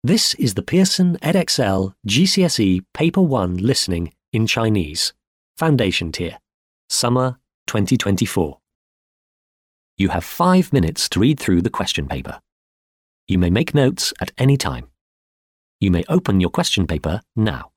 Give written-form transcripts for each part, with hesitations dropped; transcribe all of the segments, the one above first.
This is the Pearson Edexcel GCSE Paper 1 Listening in Chinese, Foundation Tier, Summer 2024. You have 5 minutes to read through the question paper. You may make notes at any time. You may open your question paper now.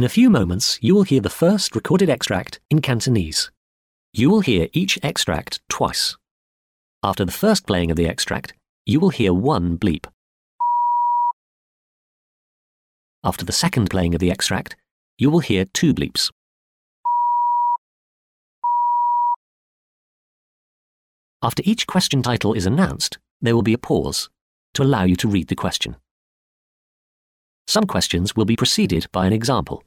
In a few moments, you will hear the first recorded extract in Cantonese. You will hear each extract twice. After the first playing of the extract, you will hear one bleep. After the second playing of the extract, you will hear two bleeps. After each question title is announced, there will be a pause to allow you to read the question. Some questions will be preceded by an example.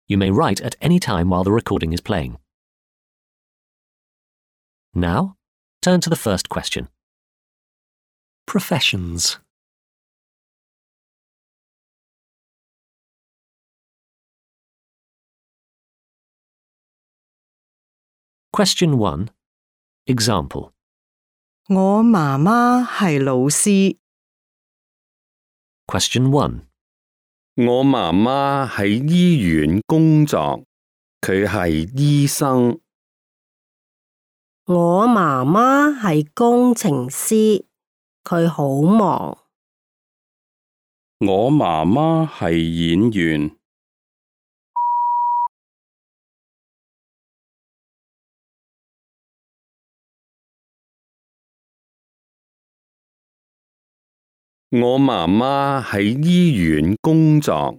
You may write at any time while the recording is playing. Now, turn to the first question. Professions. Question 1. Example. 我媽媽係老師。 Question 1. 我媽媽喺醫院工作，佢係醫生。我媽媽係工程師，佢好忙。我媽媽係演員。我媽媽喺醫院工作，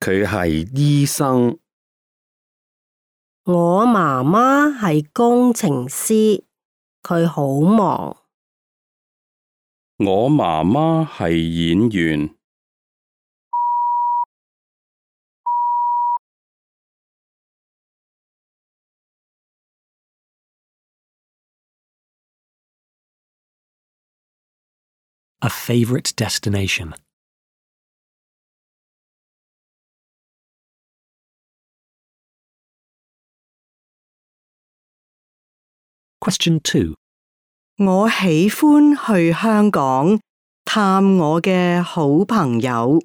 佢係醫生。我媽媽係工程師，佢好忙。我媽媽係演員。A favorite destination. Question 2. 我喜歡去香港探我嘅好朋友。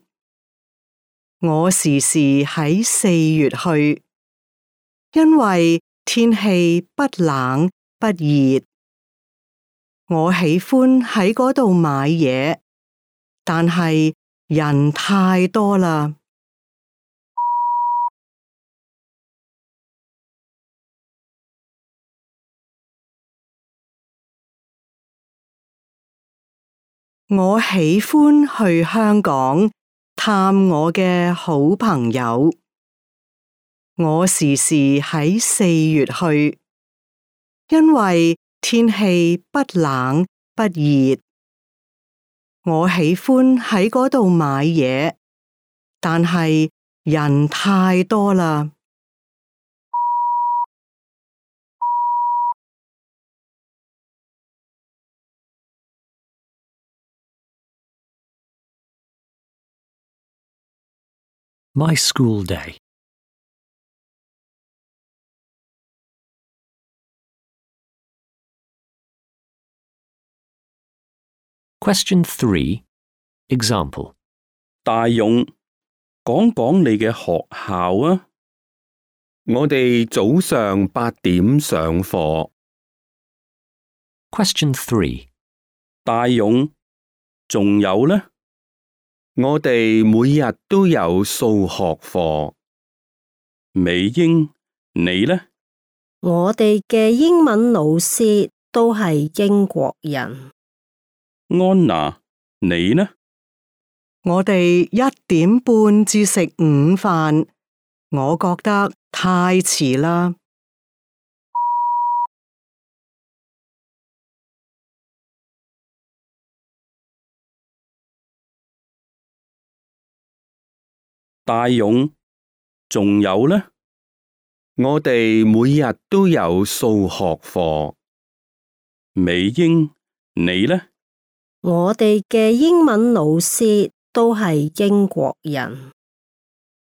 我時時喺4月去，因為天氣不冷不熱。我喜歡喺嗰度買嘢，但係人太多啦。我喜歡去香港探我嘅好朋友。我時時喺4月去，因為天氣不冷不熱。我喜歡喺嗰度買嘢，但係人太多啦。My school day. Question 3. Example. 大勇，講講你嘅學校啊。我哋早上8點上課。Question 3. 大勇，仲有呢？我哋每日都有數學課。美英，你呢？我哋嘅英文老師都係英國人。安娜，你呢？我哋1點半至食午飯，我覺得太遲啦。大勇，仲有呢？我哋每日都有數學課。美英，你呢？我哋嘅英文老師都係英國人。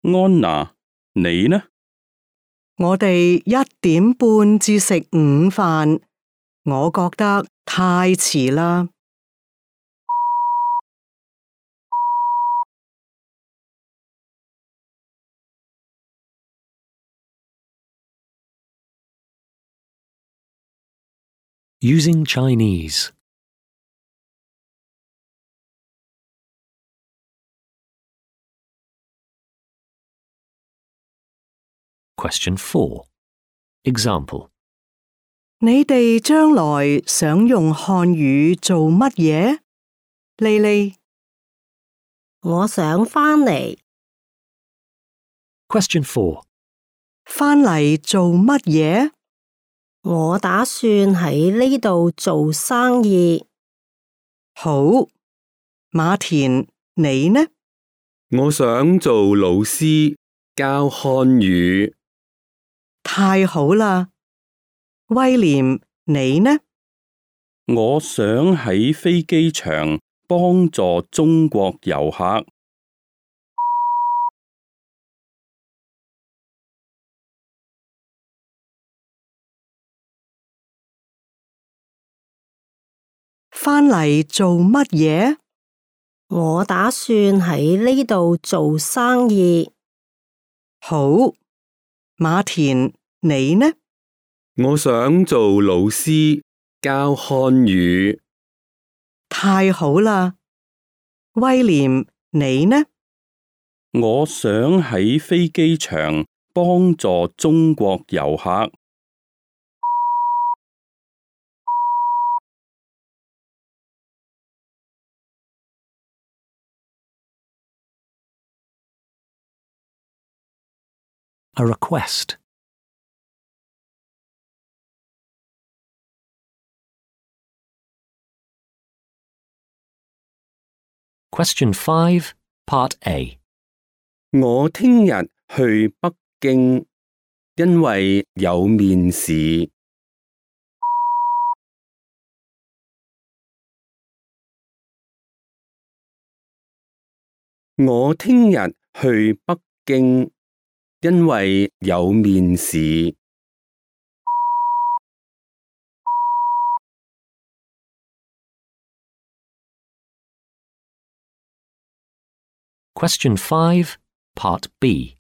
安娜，你呢？我哋1點半至食午飯，我覺得太遲啦。Using Chinese. Question 4. Example. 你哋將來想用漢語做乜嘢？莉莉，我想返嚟， Question 4. 返嚟做乜嘢？我打算喺呢度做生意。好，馬田，你呢？我想做老師，教漢語。太好啦！威廉，你呢？我想喺飛機場幫助中國遊客。返嚟做乜嘢？我打算喺呢度做生意。好，馬田，你呢？我想做老師，教漢語。太好啦！威廉，你呢？我想喺飛機場幫助中國遊客。A request. Question 5, Part A. 我聽日去北京，因為有面試。我聽日去北京，因為有面試。Question 5, Part B.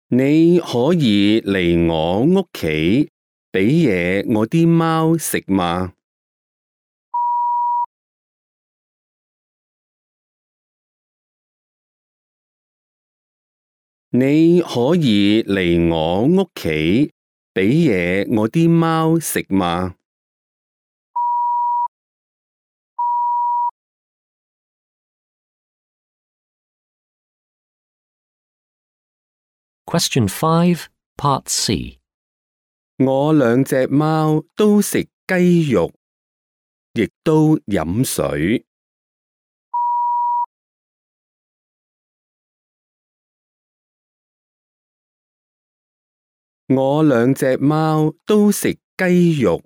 你可以嚟我屋企俾嘢我啲貓食嗎？你可以嚟我屋企俾嘢我啲貓食嗎？Question 5, Part C. 我兩隻貓都食雞肉，亦都飲水。我兩隻貓都食雞肉，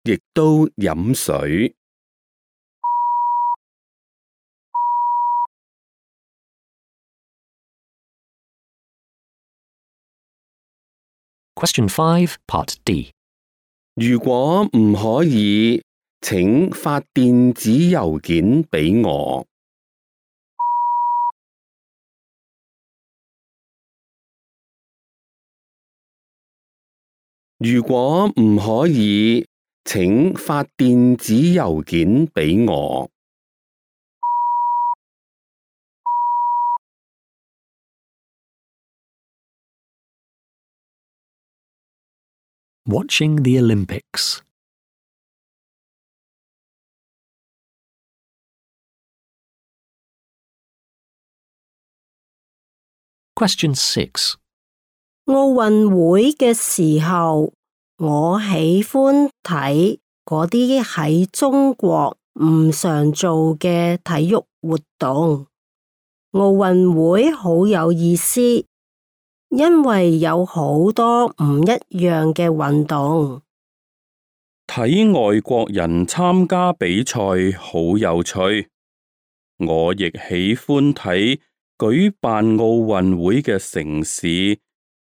亦都飲水。Question 5, Part D. 如果唔可以，請發電子郵件俾我。如果唔可以，請發電子郵件俾我。Watching the Olympics. Question 6. 奧運會嘅時候，我喜歡睇嗰啲喺中國唔常做嘅體育活動。奧運會好有意思，因為有好多唔一樣嘅運動。睇外國人參加比賽好有趣，我亦喜歡睇舉辦奧運會嘅城市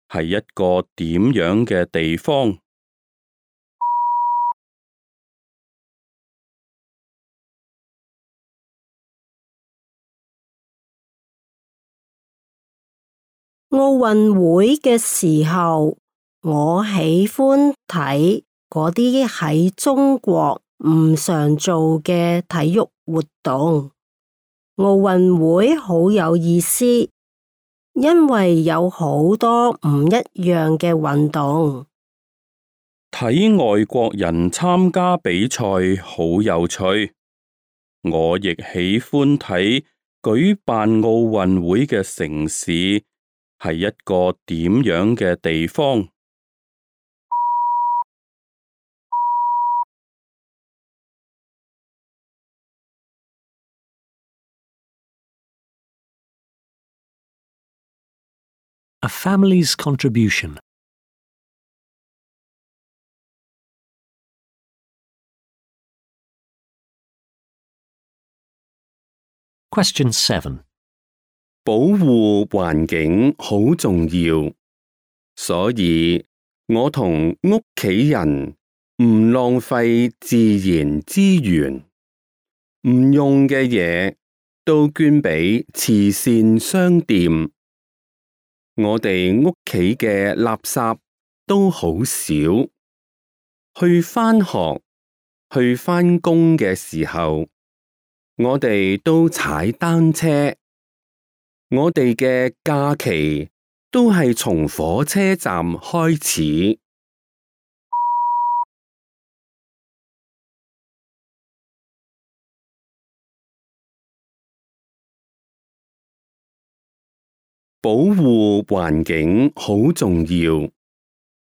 係一個點樣嘅地方。奧運會嘅時候，我喜歡睇嗰啲喺中國唔常做嘅體育活動。奧運會好有意思，因為有好多唔一樣嘅運動。睇外國人參加比賽好有趣，我亦喜歡睇舉辦奧運會嘅城市係一個點樣嘅地方。A family's contribution. Question 7. 保護環境好重要，所以我同屋企人唔浪費自然資源，唔用嘅嘢都捐俾慈善商店。我哋屋企嘅垃圾都好少，去返學、去返工嘅時候，我哋都踩單車。我哋嘅假期都係從火車站開始。保護環境好重要，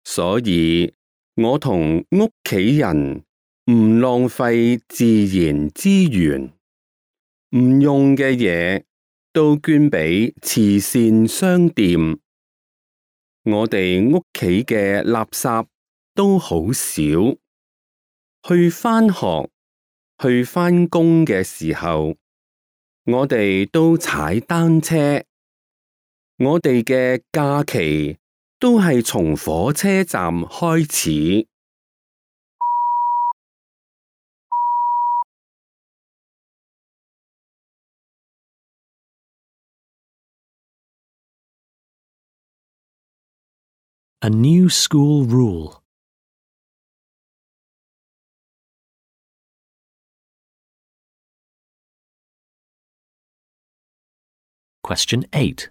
所以我同屋企人唔浪費自然資源，唔用嘅嘢都捐俾慈善商店。我哋屋企嘅垃圾都好少，去返學、去返工嘅時候，我哋都踩單車。我哋嘅假期都係從火車站開始。A new school rule. Question 8.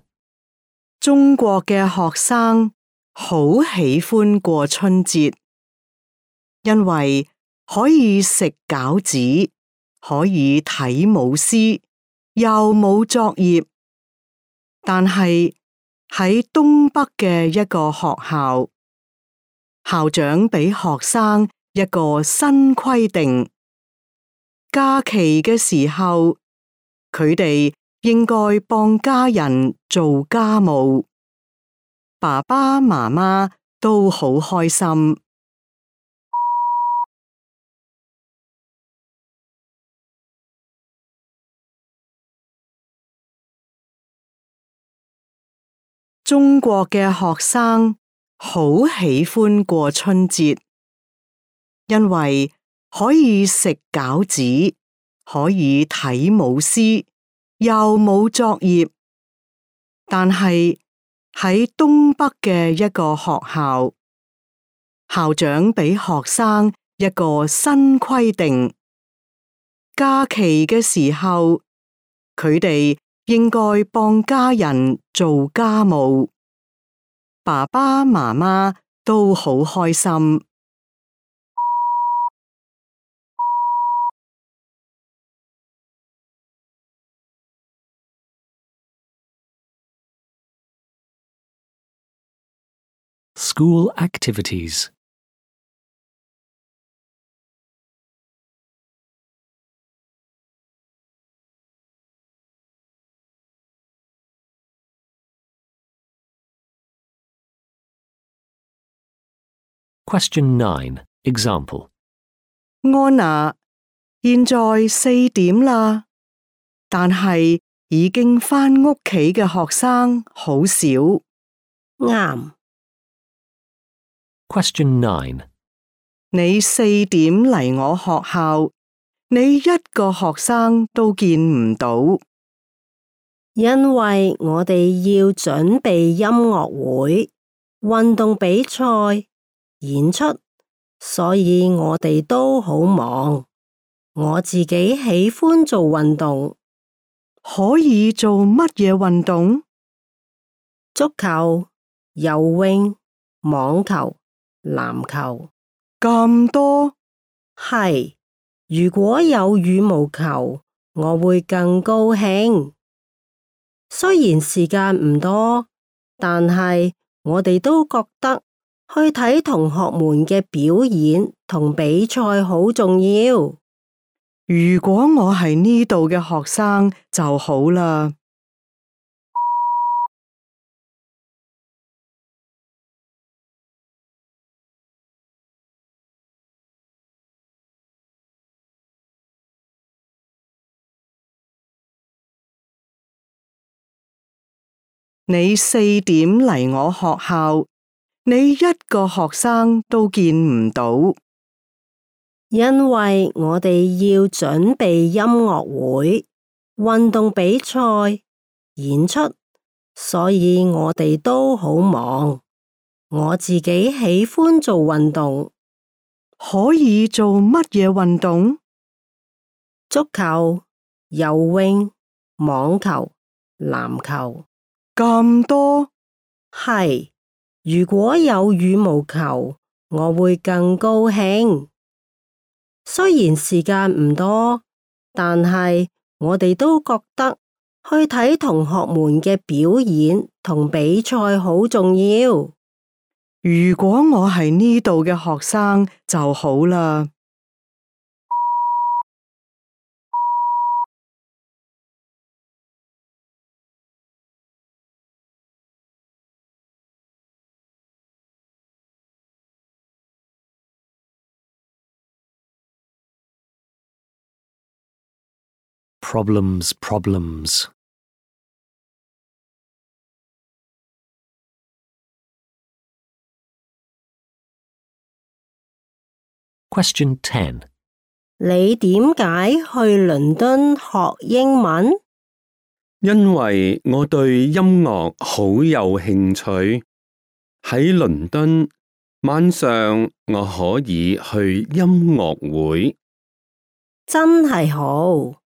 中國嘅學生好喜歡過春節，因為可以食餃子，可以睇舞獅，又冇作業。但係喺東北嘅一個學校，校長俾學生一個新規定，假期嘅時候，佢哋應該幫家人做家務，爸爸媽媽都好開心。中國嘅學生好喜歡過春節，因為可以食餃子，可以睇舞獅，又冇作業。但係喺東北嘅一個學校，校長俾學生一個新規定，假期嘅時候，佢哋應該幫家人做家務，爸爸媽媽都好開心。School activities. Question 9. Example. 安娜，現在4點啦，但係已經返屋企嘅學生好少。啱。Question 9. 你4點嚟我學校，你一個學生都見唔到。因為我哋要準備音樂會、運動比賽、演出，所以我哋都好忙。我自己喜歡做運動。可以做乜嘢運動？足球、游泳、網球、籃球。咁多？係，如果有羽毛球，我會更高興。雖然時間唔多，但係我哋都覺得去睇同學們嘅表演同比賽好重要。如果我係呢度嘅學生就好啦。你4點嚟我學校，你一個學生都見唔到。因為我哋要準備音樂會、運動比賽、演出，所以我哋都好忙。我自己喜歡做運動。可以做乜嘢運動？足球、游泳、網球、籃球。咁多？係，如果有羽毛球，我會更高興。雖然時間唔多，但係我哋都覺得去睇同學們嘅表演同比賽好重要。如果我係呢度嘅學生就好啦。Problems, problems. Question 10. 你點解去倫敦學英文？因為我對音樂好有興趣。喺倫敦，晚上我可以去音樂會。真係好。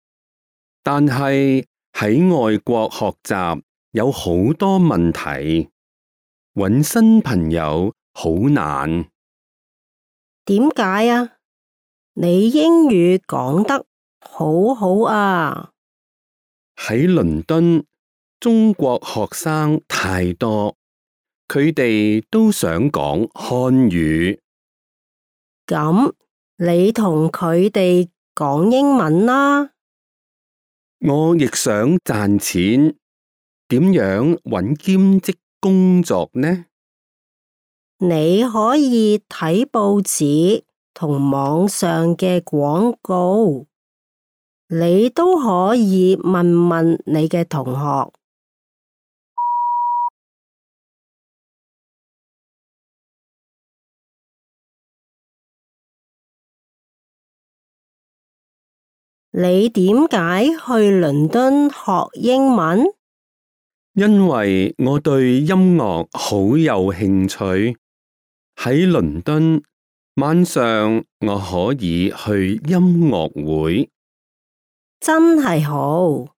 但係喺外國學習有好多問題，搵新朋友好難。點解啊？你英語講得好好啊！喺倫敦，中國學生太多，佢哋都想講漢語。咁你同佢哋講英文啦。我亦想賺錢，點樣搵兼職工作呢？你可以睇報紙同網上嘅廣告，你都可以問問你嘅同學。你點解去倫敦學英文？因為我對音樂好有興趣。喺倫敦，晚上我可以去音樂會。真係好。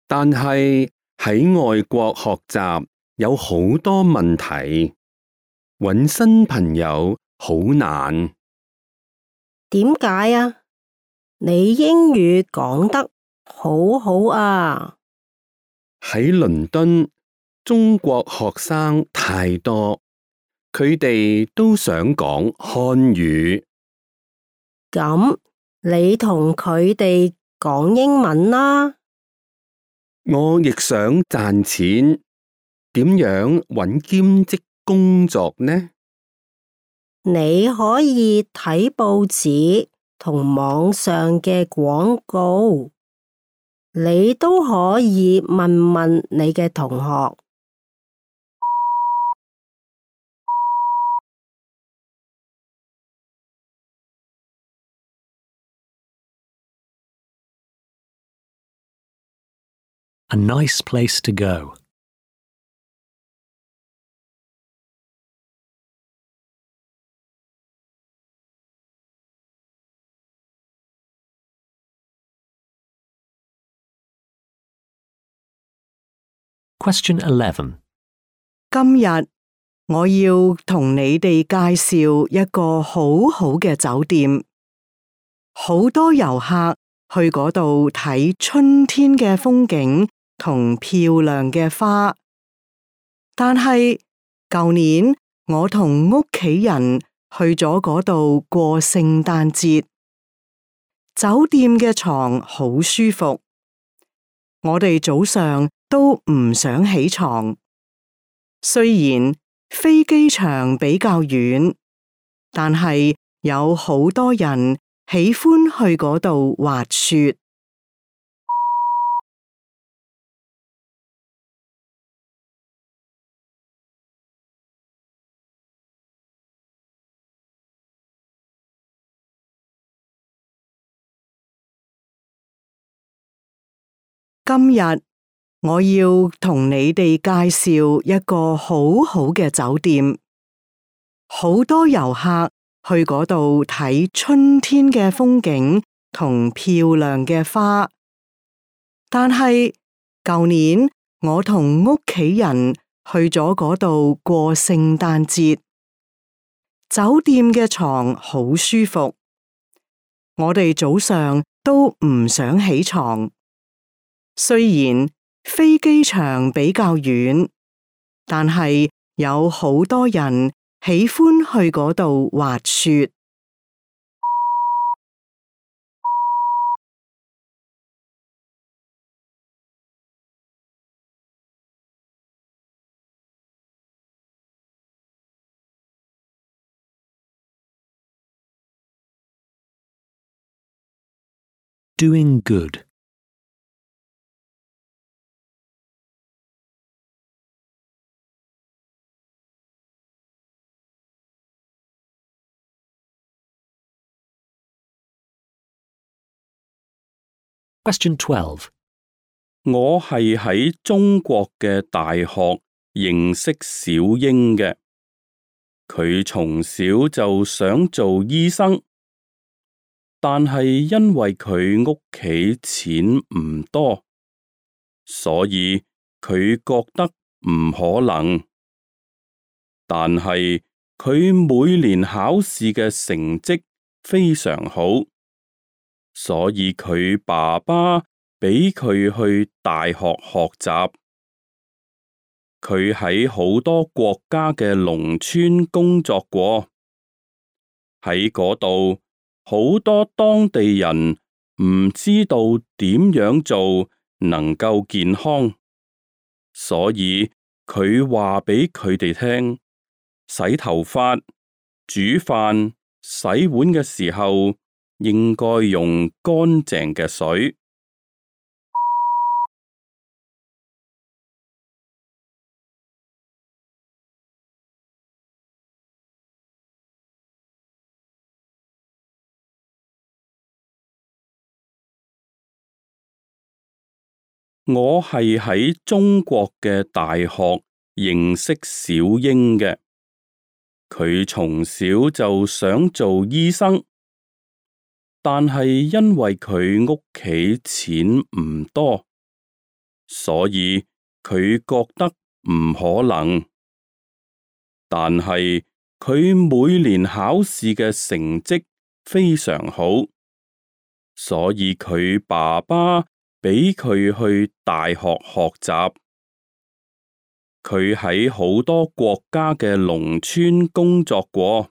但係喺外國學習有好多問題，搵新朋友好難。點解啊？你英語講得好好啊！喺倫敦，中國學生太多，佢哋都想講漢語。咁你同佢哋講英文啦。我亦想賺錢，點樣搵兼職工作呢？你可以睇報紙同網上嘅廣告，你都可以問問你嘅同學。A nice place to go. Question 11. 今日我要同你哋介紹一個好好嘅酒店，好多遊客去嗰度睇春天嘅風景同漂亮嘅花。但係舊年我同屋企人去咗嗰度過聖誕節，酒店嘅床好舒服，我哋早上都唔想起床。雖然飛機場比較遠，但係有好多人喜歡去嗰度滑雪。今日我要同你哋介紹一個好好嘅酒店，好多遊客去嗰度睇春天嘅風景同漂亮嘅花。但係舊年我同屋企人去咗嗰度過聖誕節，酒店嘅床好舒服，我哋早上都唔想起床。雖然飛機場比較遠，但係有好多人喜歡去嗰度滑雪。Doing good. Question 12. 我係喺中國嘅大學認識小英嘅，佢從小就想做醫生，但係因為佢屋企錢唔多，所以佢覺得唔可能。但係佢每年考試嘅成績非常好，所以佢爸爸俾佢去大學學習。佢喺好多國家嘅農村工作過，喺嗰度好多當地人唔知道點樣做能夠健康，所以佢話俾佢哋聽，洗頭髮、煮飯、洗碗嘅時候應該用乾淨嘅水。我係喺中國嘅大學認識小英嘅，佢從小就想做醫生，但係因為佢屋企錢唔多，所以佢覺得唔可能。但係佢每年考試嘅成績非常好，所以佢爸爸俾佢去大學學習。佢喺好多國家嘅農村工作過，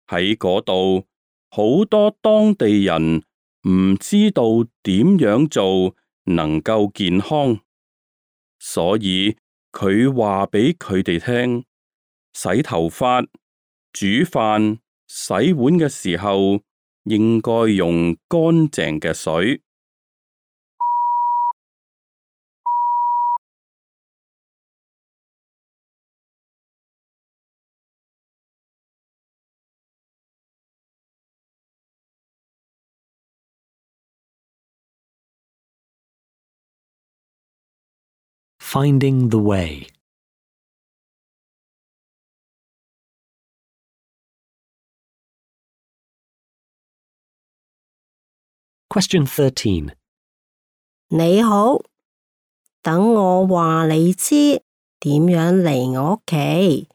喺嗰度好多當地人唔知道點樣做能夠健康，所以佢話俾佢哋聽，洗頭髮、煮飯、洗碗嘅時候應該用乾淨嘅水。Finding the way. Question 13. 你好，等我話你知，點樣嚟我屋企？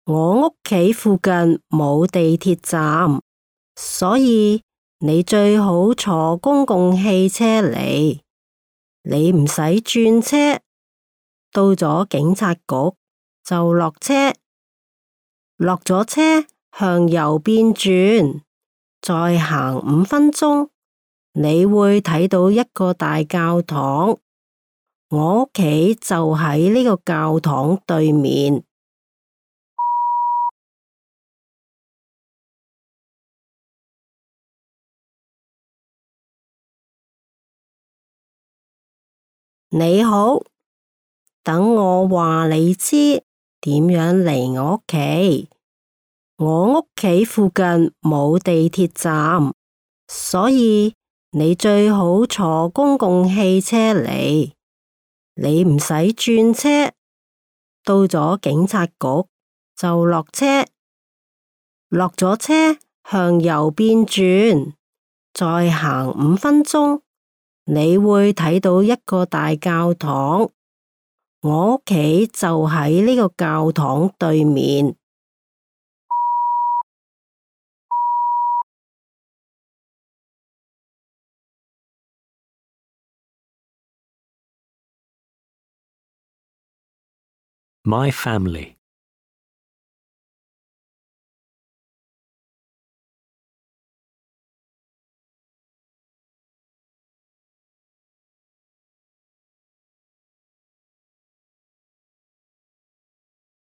我屋企附近冇地鐵站，所以你最好坐公共汽車嚟。你唔使轉車，到咗警察局就落車，落咗車向右邊轉，再行5分鐘，你會睇到一個大教堂。我屋企就喺呢個教堂對面。你好，等我話你知點樣嚟我屋企。我屋企附近冇地鐵站，所以你最好坐公共汽車嚟。你唔使轉車，到咗警察局就落車，落咗車向右邊轉，再行5分鐘，你會睇到一個大教堂。我屋企就喺呢個教堂對面。My family.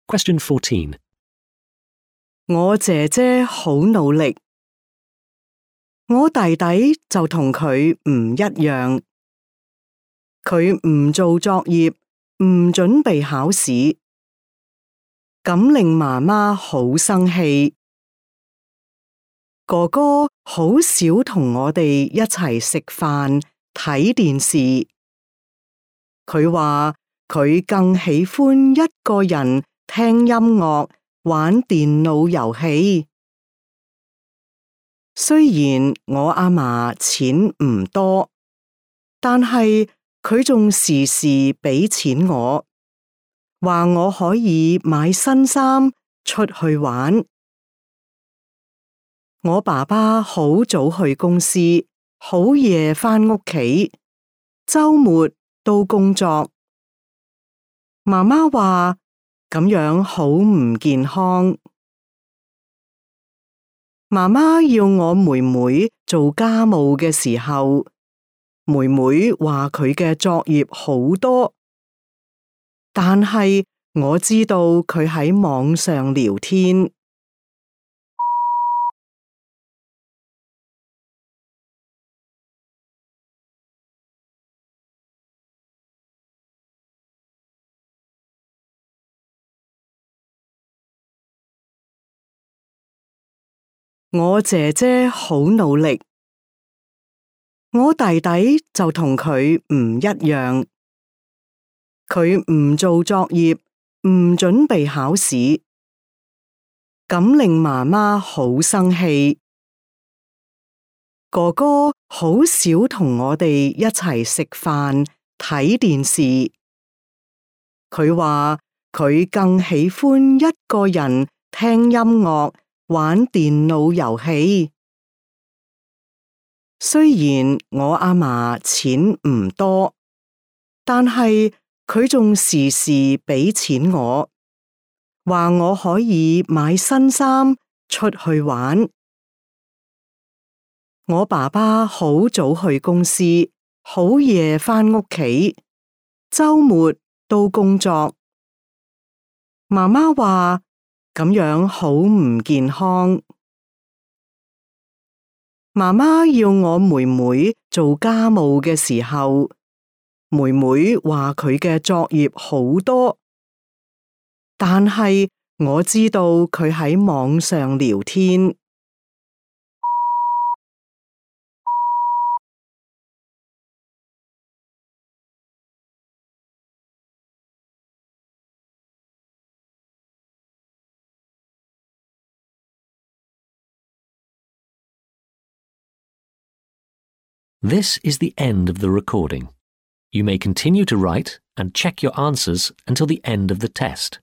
Question 14. 我姐姐好努力，我弟弟就同佢唔一樣。佢唔做作業，唔準備考試，咁令媽媽好生氣。哥哥好少同我哋一齊食飯、睇電視。佢話佢更喜歡一個人聽音樂、玩電腦遊戲。雖然我阿嫲錢唔多，但係佢仲時時俾錢我，話我可以買新衫出去玩。我爸爸好早去公司，好夜返屋企，週末都工作。媽媽話咁樣好唔健康。媽媽要我妹妹做家務嘅時候，妹妹話佢嘅作業好多，但係我知道佢喺網上聊天。我姐姐好努力，我弟弟就同佢唔一樣。佢唔做作業，唔準備考試，咁令媽媽好生氣。哥哥好少同我哋一齊食飯、睇電視。佢話佢更喜歡一個人聽音樂、玩電腦遊戲。雖然我阿嫲錢唔多，但係佢仲時時俾錢我，話我可以買新衫出去玩。我爸爸好早去公司，好夜返屋企，週末都工作。媽媽話咁樣好唔健康。媽媽要我妹妹做家務嘅時候，妹妹話佢嘅作業好多，但係我知道佢喺網上聊天。This is the end of the recording. You may continue to write and check your answers until the end of the test.